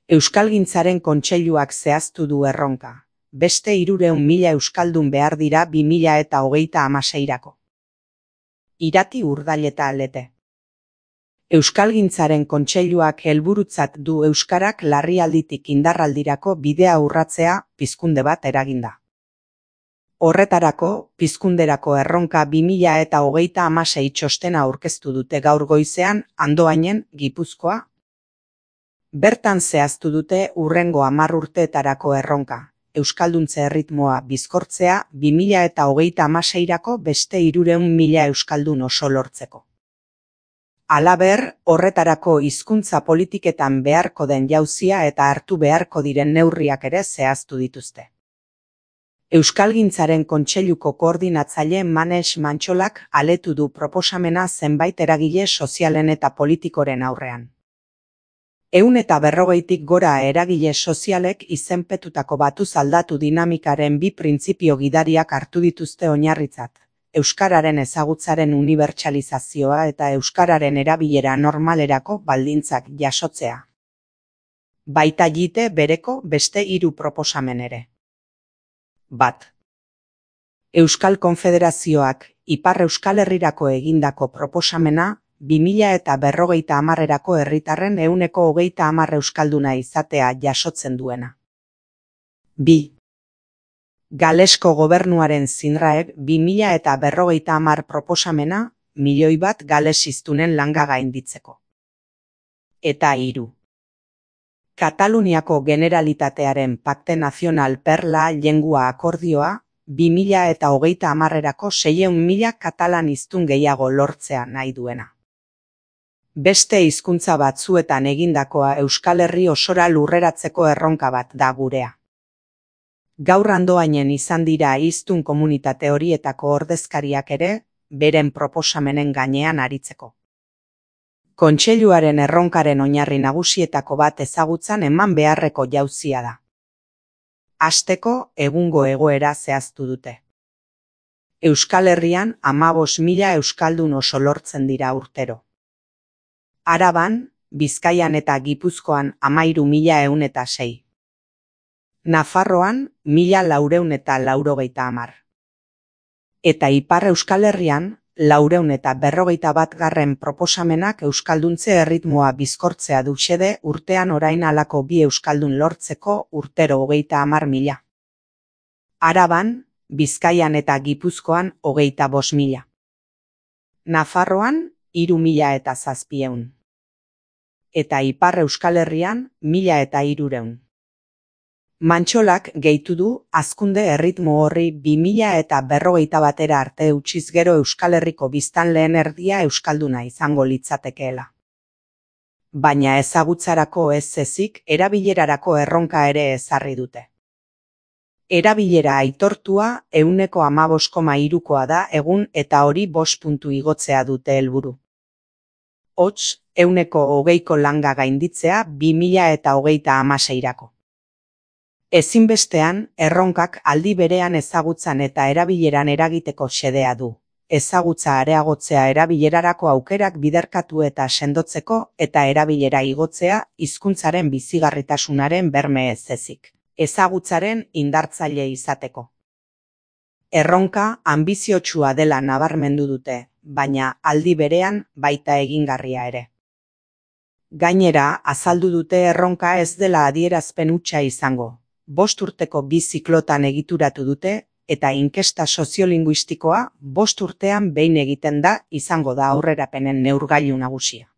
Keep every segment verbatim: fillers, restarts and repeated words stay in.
Euskalgintzaren Kontseiluak zehaztu du erronka. Beste hirurehun mila euskaldun behar dira bi mila eta hogeita hamaseirako. Irati Urdaileta Lete. Euskalgintzaren Kontseiluak helburutzat du euskarak larrialditik indarraldirako bidea urratzea pizkunde bat eraginda. Horretarako, pizkunderako erronka bi mila eta hogeita hamasei txostena aurkeztu dute gaur goizean Andoainen, Gipuzkoa. Bertan zehaztu dute hurrengo hamar urteetarako erronka, euskalduntze erritmoa bizkortzea bi mila eta hogeita hamaseirako beste hirurehun mila euskaldun oso lortzeko. Halaber, horretarako hizkuntza politiketan beharko den jauzia eta hartu beharko diren neurriak ere zehaztu dituzte. Euskalgintzaren Kontseiluko koordinatzaile Manex Mantxolak aletu du proposamena zenbait eragile sozialen eta politikoren aurrean. Ehun eta berrogeitik gora eragile sozialek izenpetutako batuz aldatu dinamikaren bi printzipio gidariak hartu dituzte oinarritzat. Euskararen ezagutzaren unibertsalizazioa eta euskararen erabilera normalerako baldintzak jasotzea. Baita jite bereko beste hiru proposamen ere. Bat. Euskal Konfederazioak Ipar Euskal Herrirako egindako proposamena bi mila eta berrogeita hamarrerako herritarren ehuneko hogeita hamar euskalduna izatea jasotzen duena. Bi. Galesko gobernuaren Zinraek bi mila eta berrogeita hamar proposamena milioi bat galesiztunen langa gainditzeko. Eta hiru. Kataluniako Generalitatearen Pakte Nazional per la Llengua akordioa bi mila eta hogeita hamarrerako seiehun mila katalan hiztun gehiago lortzea nahi duena. Beste hizkuntza batzuetan egindakoa Euskal Herri osora lurreratzeko erronka bat da gurea. Gaur Andoainen izan dira hiztun komunitate horietako ordezkariak ere, beren proposamenen gainean aritzeko. Kontseiluaren erronkaren oinarri nagusietako bat ezagutzan eman beharreko jauzia da. Hasteko, egungo egoera zehaztu dute. Euskal Herrian hamabost mila euskaldun oso lortzen dira urtero. Araban, Bizkaian eta Gipuzkoan hamairu mila ehun eta sei. Nafarroan, mila laurehun eta laurogeita hamar. Eta Ipar Euskal Herrian, laurehun eta berrogeita bat garren proposamenak euskalduntze erritmoa bizkortzea du xede urtean orain halako bi euskaldun lortzeko urtero hogeita hamar mila. Araban, Bizkaian eta Gipuzkoan hogeita bost mila. Nafarroan, hiru mila eta zazpieun. Eta Ipar Euskal Herrian, mila eta hirurehun. Mantxolak gehitu du hazkunde erritmo horri bi mila eta berrogeita batera arte utziz gero Euskal Herriko biztanleen erdia euskalduna izango litzatekeela. Baina ezagutzarako ez ezik erabilerarako erronka ere ezarri dute. Erabilera aitortua ehuneko hamabost koma hirukoa da egun eta hori bost puntu igotzea dute helburu. Hots, ehuneko hogeiko langa gainditzea bi mila eta hogeita hamaseirako. Ezinbestean, erronkak aldi berean ezagutzan eta erabileran eragiteko xedea du. Ezagutza areagotzea erabilerarako aukerak biderkatu eta sendotzeko eta erabilera igotzea hizkuntzaren bizigarritasunaren berme ez ezik. Ezagutzaren indartzaile izateko. Erronka anbiziotsua dela nabarmendu dute, baina aldi berean baita egingarria ere. Gainera, azaldu dute erronka ez dela adierazpen hutsa izango. Bost urteko bi ziklotan egituratu dute, eta inkesta soziolinguistikoa bost urtean behin egiten da izango da aurrerapenen neurgailu nagusia.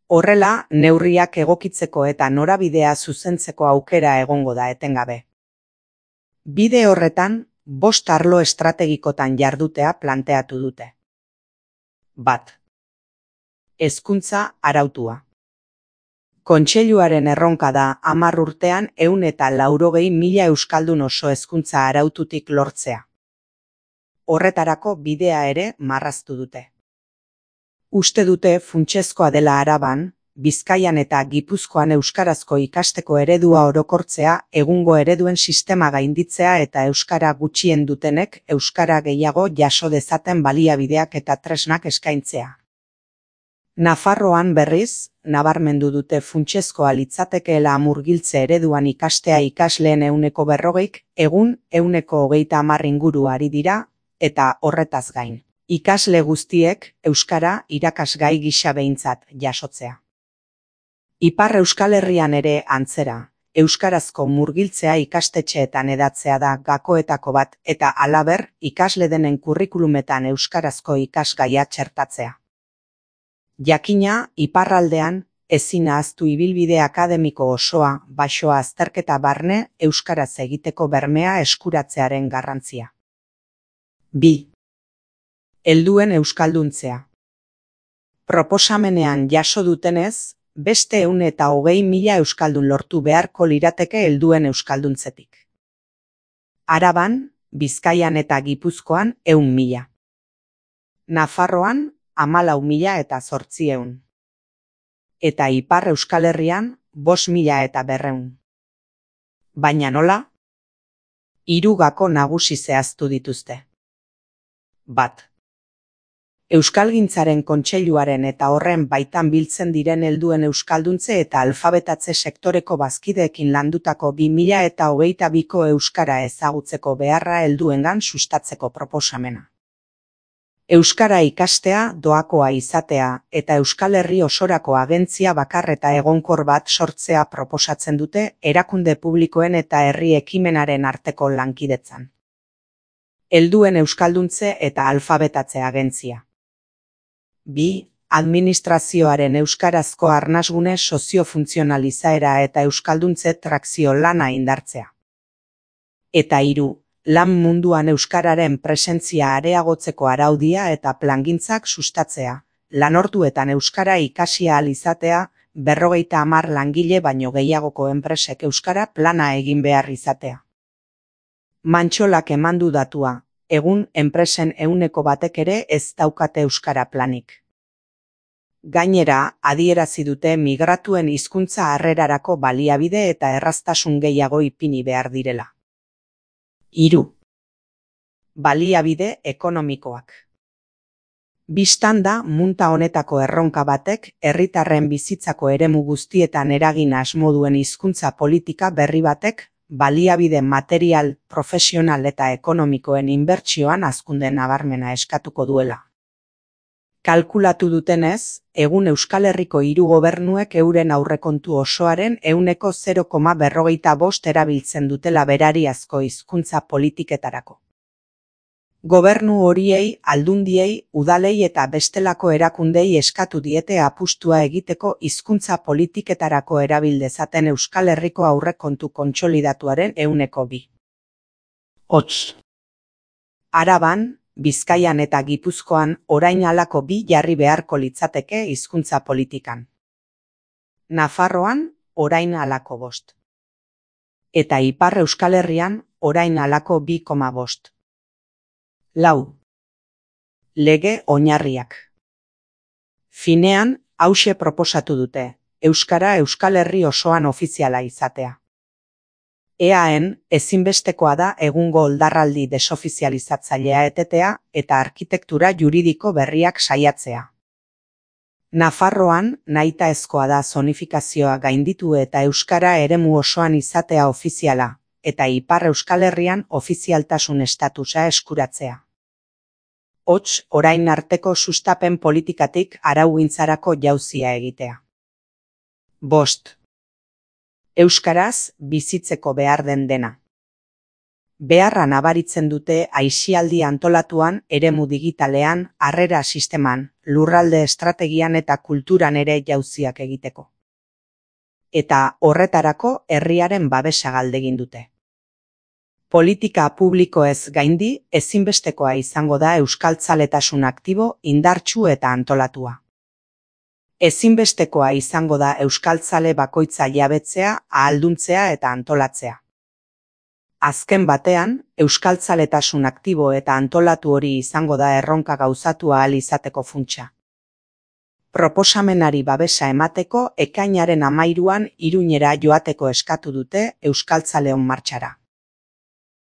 Horrela, neurriak egokitzeko eta norabidea zuzentzeko aukera egongo da etengabe. Bide horretan, bost arlo estrategikotan jardutea planteatu dute. Bat. Hezkuntza arautua. Kontseiluaren erronka da hamar urtean ehun eta laurogei mila euskaldun oso hezkuntza araututik lortzea. Horretarako bidea ere marraztu dute. Uste dute funtsezkoa dela Araban, Bizkaian eta Gipuzkoan euskarazko ikasteko eredua orokortzea, egungo ereduen sistema gainditzea eta euskara gutxien dutenek euskara gehiago jaso dezaten baliabideak eta tresnak eskaintzea. Nafarroan berriz, nabarmendu dute funtsezkoa litzatekeela murgiltze ereduan ikastea ikasleen ehuneko berrogeik, egun ehuneko hogeita hamar inguru ari dira, eta horretaz gain. Ikasle guztiek euskara irakasgai gisa behintzat jasotzea. Ipar Euskal Herrian ere antzera, euskarazko murgiltzea ikastetxeetan hedatzea da gakoetako bat eta halaber ikasle denen kurrikulumetan euskarazko ikasgaia txertatzea. Jakina, iparraldean, ezin ahaztu ibilbide akademiko osoa, baxoa azterketa barne euskaraz egiteko bermea eskuratzearen garrantzia. bi. Helduen euskalduntzea. Proposamenean jaso dutenez, beste ehun eta hogei mila euskaldun lortu beharko lirateke helduen euskalduntzetik. Araban, Bizkaian eta Gipuzkoan ehun mila. Nafarroan, hamalau mila eta zortziehun. Eta Ipar Euskal Herrian, bost mila eta berrehun. Baina nola? Hiru gako nagusi zehaztu dituzte. Bat. Euskalgintzaren Kontseiluaren eta horren baitan biltzen diren helduen euskalduntze eta alfabetatze sektoreko bazkideekin landutako bi mila eta hogeita biko euskara ezagutzeko beharra helduengan sustatzeko proposamena. Euskara ikastea doakoa izatea eta Euskal Herri osorako agentzia bakar eta egonkor bat sortzea proposatzen dute erakunde publikoen eta herri ekimenaren arteko lankidetzan. Helduen euskalduntze eta alfabetatze agentzia. bi. Administrazioaren euskarazko arnasgune soziofuntzionalizaera eta euskalduntze trakzio lana indartzea. Eta hiru. Lan munduan euskararen presentzia areagotzeko araudia eta plangintzak sustatzea, lanorduetan euskara ikasi ahal izatea, berrogeita hamar langile baino gehiagoko enpresek euskara plana egin behar izatea. Mantxolak emandu datua, egun enpresen ehuneko batek ere ez daukate euskara planik. Gainera, adierazi dute migratuen hizkuntza harrerarako baliabide eta erraztasun gehiago ipini behar direla. Hiru. Baliabide ekonomikoak. Bistan da munta honetako erronka batek herritarren bizitzako eremu guztietan eragin asmo duen hizkuntza politika berri batek baliabide material, profesional eta ekonomikoen inbertsioan hazkunde nabarmena eskatuko duela. Kalkulatu dutenez, egun Euskal Herriko hiru gobernuek euren aurrekontu osoaren ehuneko zero koma berrogeita bost erabiltzen dutela berariazko hizkuntza politiketarako. Gobernu horiei, aldundiei, udalei eta bestelako erakundei eskatu diete apustua egiteko hizkuntza politiketarako erabil dezaten Euskal Herriko aurrekontu kontsolidatuaren ehuneko bi. Hots. Araban, Bizkaian eta Gipuzkoan orain halako bi jarri beharko litzateke hizkuntza politikan. Nafarroan orain halako bost. Eta Ipar Euskal Herrian orain halako bi koma bost. Lau. Lege oinarriak. Finean, hauxe proposatu dute, euskara Euskal Herri osoan ofiziala izatea. Eaen, ezinbestekoa da egungo oldarraldi desofizializatzailea etetea eta arkitektura juridiko berriak saiatzea. Nafarroan, nahitaezkoa da zonifikazioa gainditu eta euskara eremu osoan izatea ofiziala, eta Ipar Euskal Herrian ofizialtasun estatusa eskuratzea. Hots, orain arteko sustapen politikatik araugintzarako jauzia egitea. Bost. Euskaraz bizitzeko behar den dena. Beharra nabaritzen dute aisialdi antolatuan, eremu digitalean, harrera sisteman, lurralde estrategian eta kulturan ere jauziak egiteko. Eta horretarako herriaren babesa galdegin dute. Politika publikoez gaindi ezinbestekoa izango da euskaltzaletasun aktibo, indartsu eta antolatua. Ezinbestekoa izango da euskaltzale bakoitza jabetzea, ahalduntzea eta antolatzea. Azken batean, euskaltzaletasun aktibo eta antolatu hori izango da erronka gauzatu ahal izateko funtsa. Proposamenari babesa emateko ekainaren hamairuan Iruñera joateko eskatu dute euskaltzaleon martxara.